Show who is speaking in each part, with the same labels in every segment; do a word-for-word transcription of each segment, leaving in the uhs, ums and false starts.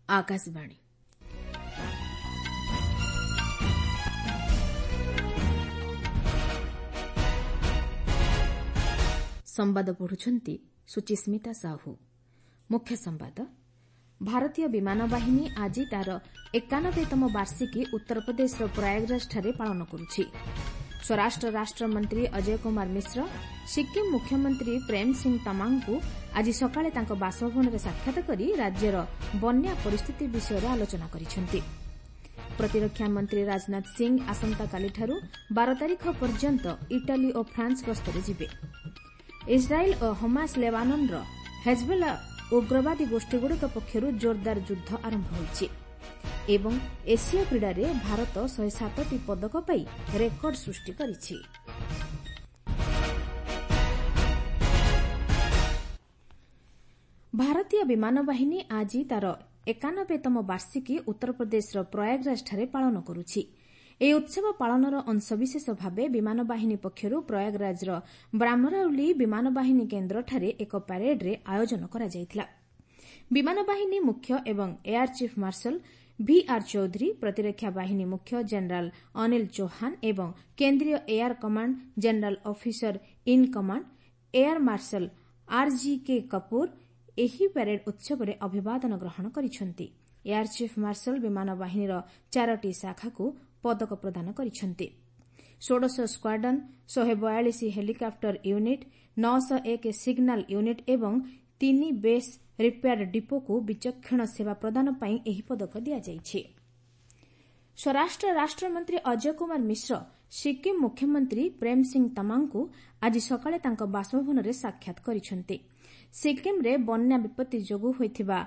Speaker 1: ଆକାଶବାଣୀ। ସମ୍ବାଦ ପଢୁଛନ୍ତି ସୁଚିସ୍ମିତା ସାହୁ। ମୁଖ୍ୟ ସମ୍ବାଦ। ଭାରତୀୟ ବିମାନ ବାହିନୀ ଆଜି ତା'ର ଏକାନବେତମ ବାର୍ଷିକୀ ଉତ୍ତରପ୍ରଦେଶର ପ୍ରୟାଗରାଜଠାରେ ପାଳନ କରୁଛି। ସ୍ୱରାଷ୍ଟ୍ର ରାଷ୍ଟ୍ରମନ୍ତ୍ରୀ ଅଜୟ କୁମାର ମିଶ୍ର ସିକ୍କିମ୍ ମୁଖ୍ୟମନ୍ତ୍ରୀ ପ୍ରେମ୍ ସିଂ ତାମାଙ୍ଗଙ୍କୁ ଆଜି ସକାଳେ ତାଙ୍କ ବାସଭବନରେ ସାକ୍ଷାତ କରି ରାଜ୍ୟର ବନ୍ୟା ପରିସ୍ଥିତି ବିଷୟରେ ଆଲୋଚନା କରିଛନ୍ତି। ପ୍ରତିରକ୍ଷା ମନ୍ତ୍ରୀ ରାଜନାଥ ସିଂ ଆସନ୍ତାକାଲିଠାରୁ ବାର ତାରିଖ ପର୍ଯ୍ୟନ୍ତ ଇଟାଲୀ ଓ ଫ୍ରାନ୍ସ ଗସ୍ତରେ ଯିବେ। ଇସ୍ରାଏଲ୍ ଓ ହମାସ୍ ଲେବାନନ୍ର ହେଜବୋଲା ଉଗ୍ରବାଦୀ ଗୋଷ୍ଠୀଗୁଡ଼ିକ ପକ୍ଷରୁ ଜୋରଦାର ଯୁଦ୍ଧ ଆରମ୍ଭ ହୋଇଛି ଏବଂ ଏସୀୟ କ୍ରୀଡ଼ାରେ ଭାରତ ଶହେ ସାତଟି ପଦକ ପାଇ ରେକର୍ଡ ସୃଷ୍ଟି କରିଛି। ଭାରତୀୟ ବିମାନ ବାହିନୀ ଆଜି ତା'ର ଏକାନବେତମ ବାର୍ଷିକୀ ଉତ୍ତରପ୍ରଦେଶର ପ୍ରୟାଗରାଜଠାରେ ପାଳନ କରୁଛି। ଏହି ଉତ୍ସବ ପାଳନର ଅଂଶବିଶେଷ ଭାବେ ବିମାନ ବାହିନୀ ପକ୍ଷରୁ ପ୍ରୟାଗରାଜର ବ୍ରାହ୍ମରାଉଲି ବିମାନ ବାହିନୀ କେନ୍ଦ୍ରଠାରେ ଏକ ପ୍ୟାରେଡ୍ର ଆୟୋଜନ କରାଯାଇଥିଲା। ବିମାନ ବାହିନୀ ମୁଖ୍ୟ ଏବଂ air chief marshal V R Chaudhari, ପ୍ରତିରକ୍ଷା ବାହିନୀ ମୁଖ୍ୟ ଜେନେରାଲ୍ ଅନିଲ ଚୌହାନ ଏବଂ କେନ୍ଦ୍ରୀୟ air command general officer in command air marshal R G K Kapoor ଏହି ପ୍ୟାରେଡ୍ ଉତ୍ସବରେ ଅଭିବାଦନ ଗ୍ରହଣ କରିଛନ୍ତି। ଏୟାର ଚିଫ୍ ମାର୍ଶାଲ୍ ବିମାନ ବାହିନୀର ଚାରୋଟି ଶାଖାକୁ ପଦକ ପ୍ରଦାନ କରିଛନ୍ତି। ଷୋଡ଼ଶ ସ୍କ୍ୱାଡ୍ରନ୍, ଶହେ ବୟାଳିଶ ହେଲିକପ୍ଟର ୟୁନିଟ୍, ନଅଶହ ଏକ ସିଗ୍ନାଲ ୟୁନିଟ୍ ଏବଂ ତିନି ବେସ୍ ରିପେୟାର ଡିପୋକୁ ବିଚକ୍ଷଣ ସେବା ପ୍ରଦାନ ପାଇଁ ଏହି ପଦକ ଦିଆଯାଇଛି। ସ୍ୱରାଷ୍ଟ୍ର ରାଷ୍ଟ୍ରମନ୍ତ୍ରୀ ଅଜୟ କୁମାର ମିଶ୍ର ସିକ୍କିମ୍ ମୁଖ୍ୟମନ୍ତ୍ରୀ ପ୍ରେମ୍ ସିଂ ତାମାଙ୍ଗଙ୍କୁ ଆଜି ସକାଳେ ତାଙ୍କ ବାସଭବନରେ ସାକ୍ଷାତ କରିଛନ୍ତି। ସିକ୍କିମ୍ରେ ବନ୍ୟା ବିପତ୍ତି ଯୋଗୁଁ ହୋଇଥିବା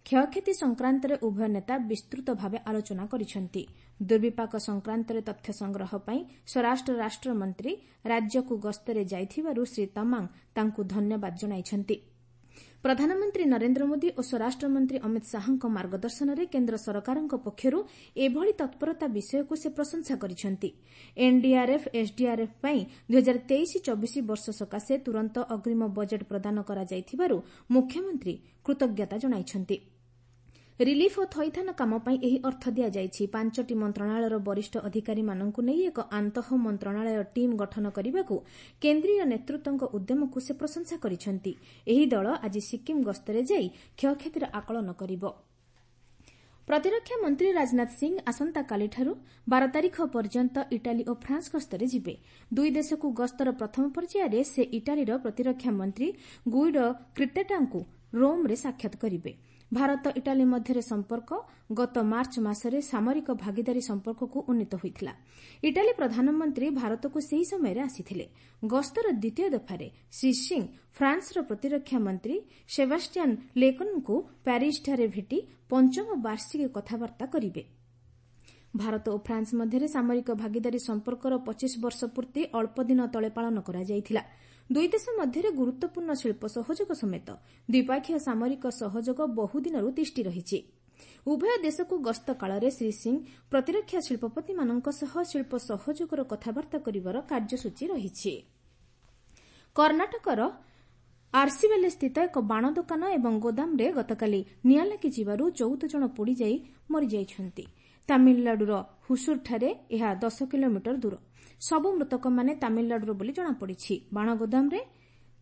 Speaker 1: କ୍ଷୟକ୍ଷତି ସଂକ୍ରାନ୍ତରେ ଉଭୟ ନେତା ବିସ୍ତୃତ ଭାବେ ଆଲୋଚନା କରିଛନ୍ତି। ଦୁର୍ବିପାକ ସଂକ୍ରାନ୍ତରେ ତଥ୍ୟ ସଂଗ୍ରହ ପାଇଁ ସ୍ୱରାଷ୍ଟ୍ର ରାଷ୍ଟ୍ରମନ୍ତ୍ରୀ ରାଜ୍ୟକୁ ଗସ୍ତରେ ଯାଇଥିବାରୁ ଶ୍ରୀ ତାମାଙ୍ଗ ତାଙ୍କୁ ଧନ୍ୟବାଦ ଜଣାଇଛନ୍ତି। ପ୍ରଧାନମନ୍ତ୍ରୀ ନରେନ୍ଦ୍ର ମୋଦି ଓ ସ୍ୱରାଷ୍ଟ୍ରମନ୍ତ୍ରୀ ଅମିତ ଶାହାଙ୍କ ମାର୍ଗଦର୍ଶନରେ କେନ୍ଦ୍ର ସରକାରଙ୍କ ପକ୍ଷରୁ ଏଭଳି ତତ୍ପରତା ବିଷୟକୁ ସେ ପ୍ରଶଂସା କରିଛନ୍ତି। ଏନ୍ଡିଆର୍ଏଫ୍, ଏସ୍ଡିଆର୍ଏଫ୍ ପାଇଁ ଦୁଇ ହଜାର ତେଇଶ ଚବିଶ ବର୍ଷ ସକାଶେ ତୁରନ୍ତ ଅଗ୍ରୀମ ବଜେଟ୍ ପ୍ରଦାନ କରାଯାଇଥିବାରୁ ମୁଖ୍ୟମନ୍ତ୍ରୀ କୃତଜ୍ଞତା ଜଣାଇଛନ୍ତି। ରିଲିଫ୍ ଓ ଥଇଥାନ କାମ ପାଇଁ ଏହି ଅର୍ଥ ଦିଆଯାଇଛି। ପାଞ୍ଚଟି ମନ୍ତ୍ରଣାଳୟର ବରିଷ୍ଠ ଅଧିକାରୀମାନଙ୍କୁ ନେଇ ଏକ ଆନ୍ତଃ ମନ୍ତ୍ରଣାଳୟ ଟିମ୍ ଗଠନ କରିବାକୁ କେନ୍ଦ୍ରୀୟ ନେତୃତ୍ୱଙ୍କ ଉଦ୍ୟମକୁ ସେ ପ୍ରଶଂସା କରିଛନ୍ତି। ଏହି ଦଳ ଆଜି ସିକ୍କିମ୍ ଗସ୍ତରେ ଯାଇ କ୍ଷୟକ୍ଷତିର ଆକଳନ କରିବ। ପ୍ରତିରକ୍ଷା ମନ୍ତ୍ରୀ ରାଜନାଥ ସିଂ ଆସନ୍ତାକାଲିଠାରୁ ବାର ତାରିଖ ପର୍ଯ୍ୟନ୍ତ ଇଟାଲୀ ଓ ଫ୍ରାନ୍ସ ଗସ୍ତରେ ଯିବେ। ଦୁଇ ଦେଶକୁ ଗସ୍ତର ପ୍ରଥମ ପର୍ଯ୍ୟାୟରେ ସେ ଇଟାଲୀର ପ୍ରତିରକ୍ଷା ମନ୍ତ୍ରୀ ଗୁଇଡୋ କ୍ରିଟେଟାଙ୍କୁ ରୋମ୍ରେ ସାକ୍ଷାତ କରିବେ। ଭାରତ ଇଟାଲୀ ମଧ୍ୟରେ ସମ୍ପର୍କ ଗତ ମାର୍ଚ୍ଚ ମାସରେ ସାମରିକ ଭାଗିଦାରୀ ସମ୍ପର୍କକୁ ଉନ୍ନୀତ ହୋଇଥିଲା। ଇଟାଲୀ ପ୍ରଧାନମନ୍ତ୍ରୀ ଭାରତକୁ ସେହି ସମୟରେ ଆସିଥିଲେ। ଗସ୍ତର ଦ୍ୱିତୀୟ ଦଫାରେ ଶ୍ରୀ ସିଂ ଫ୍ରାନ୍ସର ପ୍ରତିରକ୍ଷା ମନ୍ତ୍ରୀ ସେବାଷ୍ଟିଆନ୍ ଲେକର୍ଣ୍ଣୁଙ୍କୁ ପ୍ୟାରିସ୍ଠାରେ ଭେଟି ପଞ୍ଚମ ବାର୍ଷିକୀ କଥାବାର୍ତ୍ତା କରିବେ। ଭାରତ ଓ ଫ୍ରାନ୍ସ ମଧ୍ୟରେ ସାମରିକ ଭାଗିଦାରୀ ସମ୍ପର୍କର ପଚିଶ ବର୍ଷ ପୂର୍ତ୍ତି ଅଳ୍ପଦିନ ତଳେ ପାଳନ କରାଯାଇଥିଲା। ଦୁଇ ଦେଶ ମଧ୍ୟରେ ଗୁରୁତ୍ୱପୂର୍ଣ୍ଣ ଶିଳ୍ପ ସହଯୋଗ ସମେତ ଦ୍ୱିପକ୍ଷୀୟ ସାମରିକ ସହଯୋଗ ବହୁଦିନରୁ ତିଷ୍ଠି ରହିଛି। ଉଭୟ ଦେଶକୁ ଗସ୍ତ କାଳରେ ଶ୍ରୀ ସିଂ ପ୍ରତିରକ୍ଷା ଶିଳ୍ପପତିମାନଙ୍କ ସହ ଶିଳ୍ପ ସହଯୋଗର କଥାବାର୍ତ୍ତା କରିବାର କାର୍ଯ୍ୟସୂଚୀ ରହିଛି। କର୍ଣ୍ଣାଟକର ଆର୍ସିବେଲେସ୍ଥିତ ଏକ ବାଣ ଦୋକାନ ଏବଂ ଗୋଦାମରେ ଗତକାଲି ନିଆଁ ଲାଗିଯିବାରୁ ଚଉଦ ଜଣ ପୋଡ଼ିଯାଇ ମରିଯାଇଛନ୍ତି। ତାମିଲନାଡୁର ହୁସୁରଠାରେ ଏହା ଦଶ କିଲୋମିଟର ଦୂର। ସବୁ ମୃତକମାନେ ତାମିଲନାଡୁର ବୋଲି ଜଣାପଡ଼ିଛି। ବାଣ ଗୋଦାମରେ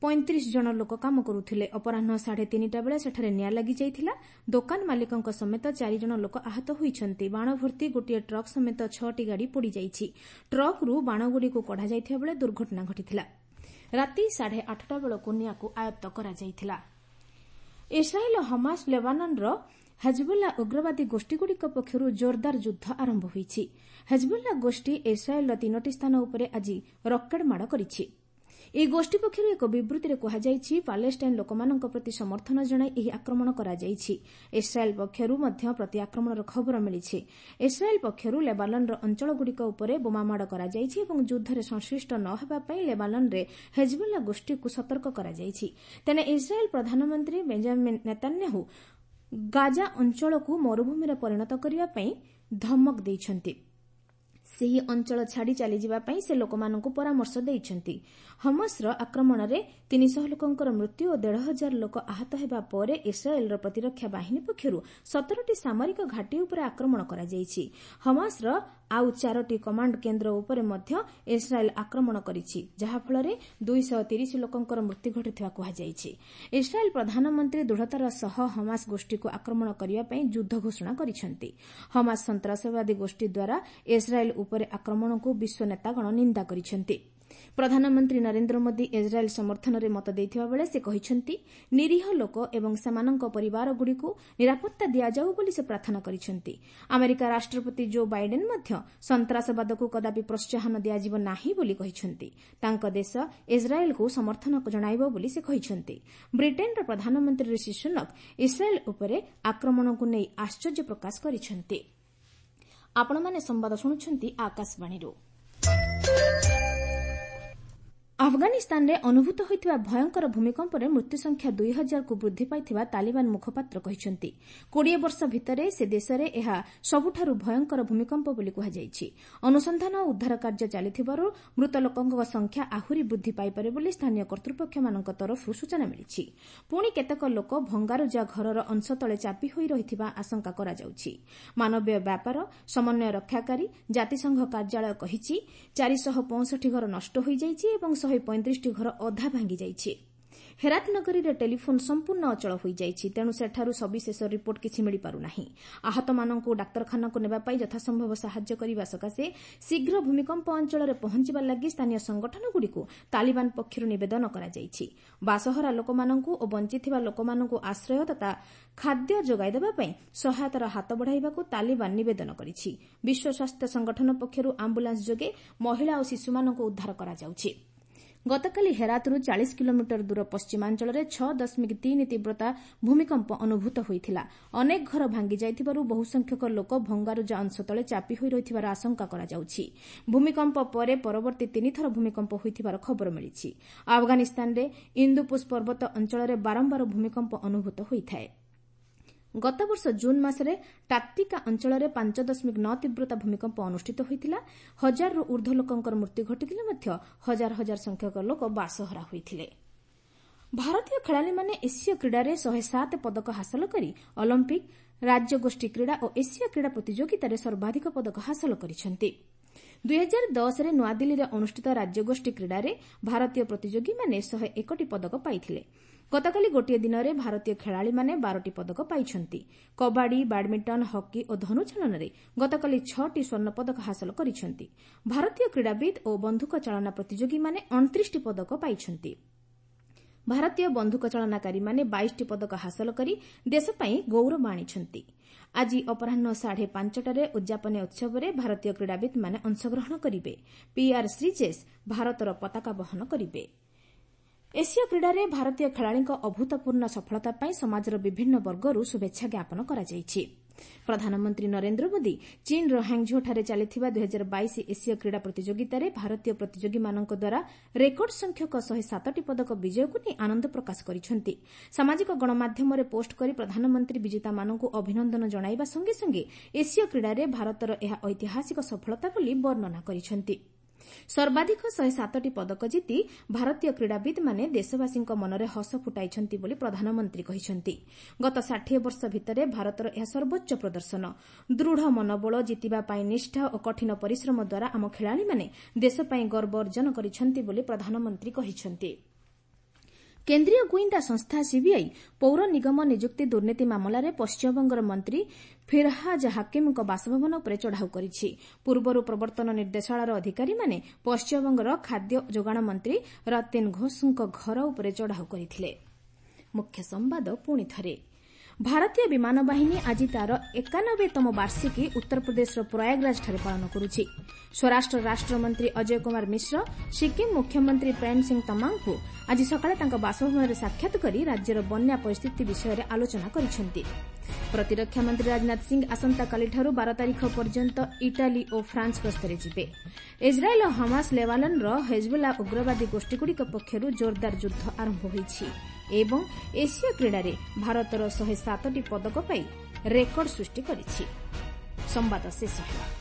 Speaker 1: ପଇଁତିରିଶ ଜଣ ଲୋକ କାମ କରୁଥିଲେ। ଅପରାହ୍ନ ସାଢ଼େ ତିନିଟା ବେଳେ ସେଠାରେ ନିଆଁ ଲାଗିଯାଇଥିଲା। ଦୋକାନ ମାଲିକଙ୍କ ସମେତ ଚାରିଜଣ ଲୋକ ଆହତ ହୋଇଛନ୍ତି। ବାଣ ଭର୍ତ୍ତି ଗୋଟିଏ ଟ୍ରକ୍ ସମେତ ଛଅଟି ଗାଡ଼ି ପୋଡ଼ିଯାଇଛି। ଟ୍ରକ୍ରୁ ବାଣଗୁଡ଼ିକୁ କଢ଼ାଯାଇଥିବା ବେଳେ ଦୁର୍ଘଟଣା ଘଟିଥିଲା। ରାତି ସାଢ଼େ ଆଠଟା ବେଳକୁ ନିଆଁକୁ ଆୟତ୍ତ କରାଯାଇଥିଲା। ଇସ୍ରାଏଲ୍ ଓ ହମାସ୍ ଲେବାନନ୍ର ହେଜବୋଲା ଉଗ୍ରବାଦୀ ଗୋଷ୍ଠୀଗୁଡ଼ିକ ପକ୍ଷରୁ ଜୋରଦାର ଯୁଦ୍ଧ ଆରମ୍ଭ ହୋଇଛି। ହେଜବୋଲା ଗୋଷ୍ଠୀ ଇସ୍ରାଏଲ୍ର ତିନୋଟି ସ୍ଥାନ ଉପରେ ଆଜି ରକେଟ୍ ମାଡ଼ କରିଛି। ଏହି ଗୋଷ୍ଠୀ ପକ୍ଷରୁ ଏକ ବିବୃତିରେ କୁହାଯାଇଛି, ପାଲେଷ୍ଟାଇନ୍ ଲୋକମାନଙ୍କ ପ୍ରତି ସମର୍ଥନ ଜଣାଇ ଏହି ଆକ୍ରମଣ କରାଯାଇଛି। ଇସ୍ରାଏଲ୍ ପକ୍ଷରୁ ମଧ୍ୟ ପ୍ରତିଆକ୍ରମଣର ଖବର ମିଳିଛି। ଇସ୍ରାଏଲ୍ ପକ୍ଷରୁ ଲେବାନନ୍ର ଅଞ୍ଚଳଗୁଡ଼ିକ ଉପରେ ବୋମାମାଡ଼ କରାଯାଇଛି ଏବଂ ଯୁଦ୍ଧରେ ସଂଶ୍ଳିଷ୍ଟ ନ ହେବା ପାଇଁ ଲେବାନନ୍ରେ ହେଜବୋଲା ଗୋଷ୍ଠୀକୁ ସତର୍କ କରାଯାଇଛି। ତେଣେ ଇସ୍ରାଏଲ୍ ପ୍ରଧାନମନ୍ତ୍ରୀ ବେଞ୍ଜାମିନ୍ ନେତାନ୍ୟାହୁ ଗାଜା ଅଞ୍ଚଳକୁ ମରୁଭୂମିରେ ପରିଣତ କରିବା ପାଇଁ ଧମକ ଦେଇଛନ୍ତି। ସେହି ଅଞ୍ଚଳ ଛାଡ଼ି ଚାଲିଯିବା ପାଇଁ ସେ ଲୋକମାନଙ୍କୁ ପରାମର୍ଶ ଦେଇଛନ୍ତି। ହମାସର ଆକ୍ରମଣରେ ତିନିଶହ ଲୋକଙ୍କର ମୃତ୍ୟୁ ଓ ଦେଢ଼ ହଜାର ଲୋକ ଆହତ ହେବା ପରେ ଇସ୍ରାଏଲ୍ର ପ୍ରତିରକ୍ଷା ବାହିନୀ ପକ୍ଷରୁ ସତରଟି ସାମରିକ ଘାଟି ଉପରେ ଆକ୍ରମଣ କରାଯାଇଛି। ହମାସର ଆଉ ଚାରୋଟି କମାଣ୍ଡ କେନ୍ଦ୍ର ଉପରେ ମଧ୍ୟ ଇସ୍ରାଏଲ୍ ଆକ୍ରମଣ କରିଛି, ଯାହାଫଳରେ ଦୁଇଶହ ତିରିଶ ଲୋକଙ୍କର ମୃତ୍ୟୁ ଘଟିଥିବା କୁହାଯାଇଛି। ଇସ୍ରାଏଲ୍ ପ୍ରଧାନମନ୍ତ୍ରୀ ଦୃଢ଼ତାର ସହ ହମାସ ଗୋଷ୍ଠୀକୁ ଆକ୍ରମଣ କରିବା ପାଇଁ ଯୁଦ୍ଧ ଘୋଷଣା କରିଛନ୍ତି। ହମାସ ସନ୍ତାସବାଦୀ ଗୋଷ୍ଠୀ ଦ୍ୱାରା ଇସ୍ରାଏଲ୍ ଉପରେ ଆକ୍ରମଣକୁ ବିଶ୍ୱ ନେତାଗଣ ନିନ୍ଦା କରିଛନ୍ତି। ପ୍ରଧାନମନ୍ତ୍ରୀ ନରେନ୍ଦ୍ର ମୋଦି ଇସ୍ରାଏଲ୍ ସମର୍ଥନରେ ମତ ଦେଇଥିବା ବେଳେ ସେ କହିଛନ୍ତି, ନିରୀହ ଲୋକ ଏବଂ ସେମାନଙ୍କ ପରିବାରଗୁଡ଼ିକୁ ନିରାପତ୍ତା ଦିଆଯାଉ ବୋଲି ସେ ପ୍ରାର୍ଥନା କରିଛନ୍ତି। ଆମେରିକା ରାଷ୍ଟ୍ରପତି ଜୋ ବାଇଡେନ୍ ମଧ୍ୟ ସନ୍ତାସବାଦକୁ କଦାପି ପ୍ରୋତ୍ସାହନ ଦିଆଯିବ ନାହିଁ ବୋଲି କହିଛନ୍ତି। ତାଙ୍କ ଦେଶ ଇସ୍ରାଏଲ୍କୁ ସମର୍ଥନ ଜଣାଇବ ବୋଲି ସେ କହିଛନ୍ତି। ବ୍ରିଟେନ୍ର ପ୍ରଧାନମନ୍ତ୍ରୀ ଋଷି ସୁନକ ଇସ୍ରାଏଲ୍ ଉପରେ ଆକ୍ରମଣକୁ ନେଇ ଆଶ୍ଚର୍ଯ୍ୟ ପ୍ରକାଶ କରିଛନ୍ତି। ଆପଣମାନେ ସମ୍ବାଦ ଶୁଣୁଛନ୍ତି ଆକାଶବାଣୀରୁ। ଆଫଗାନିସ୍ତାନରେ ଅନୁଭୂତ ହୋଇଥିବା ଭୟଙ୍କର ଭୂମିକମ୍ପରେ ମୃତ୍ୟୁସଂଖ୍ୟା ଦୁଇ ହଜାରକୁ ବୃଦ୍ଧି ପାଇଥିବା ତାଲିବାନ ମୁଖପାତ୍ର କହିଛନ୍ତି। କୋଡ଼ିଏ ବର୍ଷ ଭିତରେ ସେ ଦେଶରେ ଏହା ସବୁଠାରୁ ଭୟଙ୍କର ଭୂମିକମ୍ପ ବୋଲି କୁହାଯାଇଛି। ଅନୁସନ୍ଧାନ ଓ ଉଦ୍ଧାର କାର୍ଯ୍ୟ ଚାଲିଥିବାରୁ ମୃତ ଲୋକଙ୍କ ସଂଖ୍ୟା ଆହୁରି ବୃଦ୍ଧି ପାଇପାରେ ବୋଲି ସ୍ଥାନୀୟ କର୍ତ୍ତୃପକ୍ଷମାନଙ୍କ ତରଫରୁ ସୂଚନା ମିଳିଛି। ପୁଣି କେତେକ ଲୋକ ଭଙ୍ଗାରୁଜା ଘରର ଅଂଶ ତଳେ ଚାପି ହୋଇ ରହିଥିବା ଆଶଙ୍କା କରାଯାଉଛି। ମାନବୀୟ ବ୍ୟାପାର ସମନ୍ୱୟ ରକ୍ଷାକାରୀ ଜାତିସଂଘ କାର୍ଯ୍ୟାଳୟ କହିଛି, ଚାରିଶହ ପଞ୍ଚଷଠି ଘର ନଷ୍ଟ ହୋଇଯାଇଛି ଏବଂ ଶହେ ପଇଁତିରିଶଟି ଘର ଅଧା ଭାଙ୍ଗିଯାଇଛି। ହେରାତ ନଗରୀରେ ଟେଲିଫୋନ୍ ସମ୍ପୂର୍ଣ୍ଣ ଅଚଳ ହୋଇଯାଇଛି, ତେଣୁ ସେଠାରୁ ସବିଶେଷ ରିପୋର୍ଟ କିଛି ମିଳିପାରୁନାହିଁ। ଆହତମାନଙ୍କୁ ଡାକ୍ତରଖାନାକୁ ନେବା ପାଇଁ ଯଥାସମ୍ଭବ ସାହାଯ୍ୟ କରିବା ସକାଶେ ଶୀଘ୍ର ଭୂମିକମ୍ପ ଅଞ୍ଚଳରେ ପହଞ୍ଚିବା ଲାଗି ସ୍ଥାନୀୟ ସଂଗଠନଗୁଡ଼ିକୁ ତାଲିବାନ ପକ୍ଷରୁ ନିବେଦନ କରାଯାଇଛି। ବାସହରା ଲୋକମାନଙ୍କୁ ଓ ବଞ୍ଚିଥିବା ଲୋକମାନଙ୍କୁ ଆଶ୍ରୟ ତଥା ଖାଦ୍ୟ ଯୋଗାଇ ଦେବା ପାଇଁ ସହାୟତାର ହାତ ବଢ଼ାଇବାକୁ ତାଲିବାନ ନିବେଦନ କରିଛି। ବିଶ୍ୱ ସ୍ୱାସ୍ଥ୍ୟ ସଂଗଠନ ପକ୍ଷରୁ ଆମ୍ବୁଲାନ୍ସ ଯୋଗେ ମହିଳା ଓ ଶିଶୁମାନଙ୍କୁ ଉଦ୍ଧାର କରାଯାଉଛି। ଗତକାଲି ହେରାତରୁ ଚାଳିଶ କିଲୋମିଟର ଦୂର ପଶ୍ଚିମାଞ୍ଚଳରେ ଛଅ ଦଶମିକ ତିନି ତୀବ୍ରତା ଭୂମିକମ୍ପ ଅନୁଭୂତ ହୋଇଥିଲା। ଅନେକ ଘର ଭାଙ୍ଗିଯାଇଥିବାରୁ ବହୁସଂଖ୍ୟକ ଲୋକ ଭଙ୍ଗାରୁଜା ଅଂଶ ତଳେ ଚାପି ହୋଇ ରହିଥିବାର ଆଶଙ୍କା କରାଯାଉଛି। ଭୂମିକମ୍ପ ପରେ ପରବର୍ତ୍ତୀ ତିନିଥର ଭୂମିକମ୍ପ ହୋଇଥିବାର ଖବର ମିଳିଛି। ଆଫଗାନିସ୍ତାନରେ ଇନ୍ଦୁପୁଶ ପର୍ବତ ଅଞ୍ଚଳରେ ବାରମ୍ବାର ଭୂମିକମ୍ପ ଅନୁଭୂତ ହୋଇଥାଏ। ଗତବର୍ଷ ଜୁନ୍ ମାସରେ ଟାକ୍ତିକା ଅଞ୍ଚଳରେ ପାଞ୍ଚ ଦଶମିକ ନଅ ତୀବ୍ରତା ଭୂମିକମ୍ପ ଅନୁଷ୍ଠିତ ହୋଇଥିଲା। ହଜାରରୁ ଊର୍ଦ୍ଧ୍ୱ ଲୋକଙ୍କର ମୃତ୍ୟୁ ଘଟିଥିଲେ ମଧ୍ୟ ହଜାର ହଜାର ସଂଖ୍ୟକ ଲୋକ ବାସହରା ହୋଇଥିଲେ। ଭାରତୀୟ ଖେଳାଳିମାନେ ଏସୀୟ କ୍ରୀଡ଼ାରେ ଶହେ ସାତ ପଦକ ହାସଲ କରି ଅଲିମ୍ପିକ୍, ରାଜ୍ୟଗୋଷ୍ଠୀ କ୍ରୀଡ଼ା ଓ ଏସୀୟ କ୍ରୀଡ଼ା ପ୍ରତିଯୋଗିତାରେ ସର୍ବାଧିକ ପଦକ ହାସଲ କରିଛନ୍ତି। ଦୁଇହଜାର ଦଶରେ ନୂଆଦିଲ୍ଲୀରେ ଅନୁଷ୍ଠିତ ରାଜ୍ୟଗୋଷ୍ଠୀ କ୍ରୀଡ଼ାରେ ଭାରତୀୟ ପ୍ରତିଯୋଗୀମାନେ ଶହେ ଏକଟି ପଦକ ପାଇଥିଲେ। ଗତକାଲି ଗୋଟିଏ ଦିନରେ ଭାରତୀୟ ଖେଳାଳିମାନେ ବାରଟି ପଦକ ପାଇଛନ୍ତି। କବାଡି, ବ୍ୟାଡମିଣ୍ଟନ, ହକି ଓ ଧନୁଚାଳନାରେ ଗତକାଲି ଛଅଟି ସ୍ୱର୍ଣ୍ଣ ପଦକ ହାସଲ କରିଛନ୍ତି। ଭାରତୀୟ କ୍ରୀଡ଼ାବିତ୍ ଓ ବନ୍ଧୁକ ଚାଳନା ପ୍ରତିଯୋଗୀମାନେ ଅଣତିରିଶଟି ପଦକ ପାଇଛନ୍ତି। ଭାରତୀୟ ବନ୍ଧୁକ ଚାଳନାକାରୀମାନେ ବାଇଶଟି ପଦକ ହାସଲ କରି ଦେଶ ପାଇଁ ଗୌରବ ଆଣିଛନ୍ତି। ଆଜି ଅପରାହ୍ନ ସାଢ଼େ ପାଞ୍ଚଟାରେ ଉଦ୍ଯାପନୀ ଉତ୍ସବରେ ଭାରତୀୟ କ୍ରୀଡ଼ାବିତ୍ମାନେ ଅଂଶଗ୍ରହଣ କରିବେ। ପିଆର୍ ଶ୍ରୀଜେଶ ଭାରତର ପତାକା ବହନ କରିବେ। ଏସୀୟ କ୍ରୀଡ଼ାରେ ଭାରତୀୟ ଖେଳାଳିଙ୍କ ଅଭୂତପୂର୍ଣ୍ଣ ସଫଳତା ପାଇଁ ସମାଜର ବିଭିନ୍ନ ବର୍ଗରୁ ଶୁଭେଚ୍ଛା ଜ୍ଞାପନ କରାଯାଇଛି। ପ୍ରଧାନମନ୍ତ୍ରୀ ନରେନ୍ଦ୍ର ମୋଦି ଚୀନ୍ର ହାଙ୍ଗଝୋଠାରେ ଚାଲିଥିବା ଦୁଇହଜାର ବାଇଶ ଏସୀୟ କ୍ରୀଡ଼ା ପ୍ରତିଯୋଗିତାରେ ଭାରତୀୟ ପ୍ରତିଯୋଗୀମାନଙ୍କ ଦ୍ୱାରା ରେକର୍ଡ ସଂଖ୍ୟକ ଶହେ ସାତଟି ପଦକ ବିଜୟକୁ ନେଇ ଆନନ୍ଦ ପ୍ରକାଶ କରିଛନ୍ତି। ସାମାଜିକ ଗଣମାଧ୍ୟମରେ ପୋଷ୍ଟ କରି ପ୍ରଧାନମନ୍ତ୍ରୀ ବିଜେତାମାନଙ୍କୁ ଅଭିନନ୍ଦନ ଜଣାଇବା ସଙ୍ଗେ ସଙ୍ଗେ ଏସୀୟ କ୍ରୀଡ଼ାରେ ଭାରତର ଏହା ଐତିହାସିକ ସଫଳତା ବୋଲି ବର୍ଣ୍ଣନା କରିଛନ୍ତି। ସର୍ବାଧିକ ଶହେ ସାତଟି ପଦକ ଜିତି ଭାରତୀୟ କ୍ରୀଡ଼ାବିତ୍ମାନେ ଦେଶବାସୀଙ୍କ ମନରେ ହସ ଫୁଟାଇଛନ୍ତି ବୋଲି ପ୍ରଧାନମନ୍ତ୍ରୀ କହିଛନ୍ତି। ଗତ ଷାଠିଏ ବର୍ଷ ଭିତରେ ଭାରତର ଏହା ସର୍ବୋଚ୍ଚ ପ୍ରଦର୍ଶନ। ଦୃଢ଼ ମନୋବଳ, ଜିତିବା ପାଇଁ ନିଷ୍ଠା ଓ କଠିନ ପରିଶ୍ରମ ଦ୍ୱାରା ଆମ ଖେଳାଳିମାନେ ଦେଶ ପାଇଁ ଗର୍ବ ଅର୍ଜନ କରିଛନ୍ତି ବୋଲି ପ୍ରଧାନମନ୍ତ୍ରୀ କହିଛନ୍ତି। କେନ୍ଦ୍ରୀୟ ଗୁଇନ୍ଦା ସଂସ୍ଥା ସିବିଆଇ ପୌର ନିଗମ ନିଯୁକ୍ତି ଦୁର୍ନୀତି ମାମଲାରେ ପଶ୍ଚିମବଙ୍ଗର ମନ୍ତ୍ରୀ ଫିରହାଜ ହାକିମ୍ଙ୍କ ବାସଭବନ ଉପରେ ଚଢ଼ାଉ କରିଛି। ପୂର୍ବରୁ ପ୍ରବର୍ତ୍ତନ ନିର୍ଦ୍ଦେଶାଳୟର ଅଧିକାରୀମାନେ ପଶ୍ଚିମବଙ୍ଗର ଖାଦ୍ୟ ଯୋଗାଣ ମନ୍ତ୍ରୀ ରତିନ ଘୋଷଙ୍କ ଘର ଉପରେ ଚଢ଼ାଉ କରିଥିଲେ। ମୁଖ୍ୟ ସମ୍ବାଦ ପୁଣି ଥରେ। ଭାରତୀୟ ବିମାନ ବାହିନୀ ଆଜି ତା'ର ଏକାନବେତମ ବାର୍ଷିକୀ ଉତ୍ତରପ୍ରଦେଶର ପ୍ରୟାଗରାଜଠାରେ ପାଳନ କରୁଛି। ସ୍ୱରାଷ୍ଟ୍ର ରାଷ୍ଟ୍ରମନ୍ତ୍ରୀ ଅଜୟ କୁମାର ମିଶ୍ର ସିକ୍କିମ୍ ମୁଖ୍ୟମନ୍ତ୍ରୀ ପ୍ରେମ ସିଂ ତମାଙ୍ଗଙ୍କୁ ଆଜି ସକାଳେ ତାଙ୍କ ବାସଭବନରେ ସାକ୍ଷାତ କରି ରାଜ୍ୟର ବନ୍ୟା ପରିସ୍ଥିତି ବିଷୟରେ ଆଲୋଚନା କରିଛନ୍ତି। ପ୍ରତିରକ୍ଷା ମନ୍ତ୍ରୀ ରାଜନାଥ ସିଂ ଆସନ୍ତାକାଲିଠାରୁ ବାର ତାରିଖ ପର୍ଯ୍ୟନ୍ତ ଇଟାଲୀ ଓ ଫ୍ରାନ୍ସ ଗସ୍ତରେ ଯିବେ। ଇସ୍ରାଏଲ୍ ଓ ହମାସ ଲେବାନନ୍ର ହେଜବୁଲ୍ଲା ଉଗ୍ରବାଦୀ ଗୋଷ୍ଠୀଗୁଡ଼ିକ ପକ୍ଷରୁ ଜୋରଦାର ଯୁଦ୍ଧ ଆରମ୍ଭ ହୋଇଛି ଏବଂ ଏସୀୟ କ୍ରୀଡ଼ାରେ ଭାରତର ଶହେ ସାତଟି ପଦକ ପାଇ ରେକର୍ଡ ସୃଷ୍ଟି କରିଛି। ସମ୍ବାଦ ଶେଷ ହେଲା।